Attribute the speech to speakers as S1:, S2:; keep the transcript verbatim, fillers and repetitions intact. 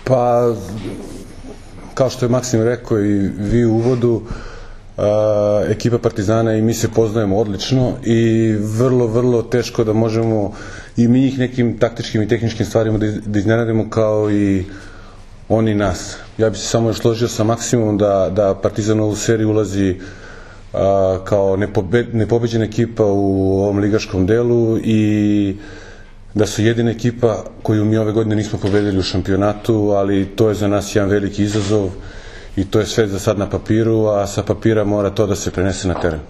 S1: Pa, kao što je Maksim rekao i vi u uvodu, ekipa Partizana i mi se poznajemo odlično i vrlo, vrlo teško da možemo i mi ih nekim taktičkim i tehničkim stvarima da iznenadimo kao i oni nas. Ja bih se samo još složio sa Maksimom da Partizan u ovu seriju ulazi kao nepobeđena ekipa u ovom ligaškom delu i da su jedina ekipa koju mi ove godine nismo pobedili u šampionatu, ali to je za nas jedan veliki izazov i to je sve za sad na papiru, a sa papira mora to da se prenese na teren.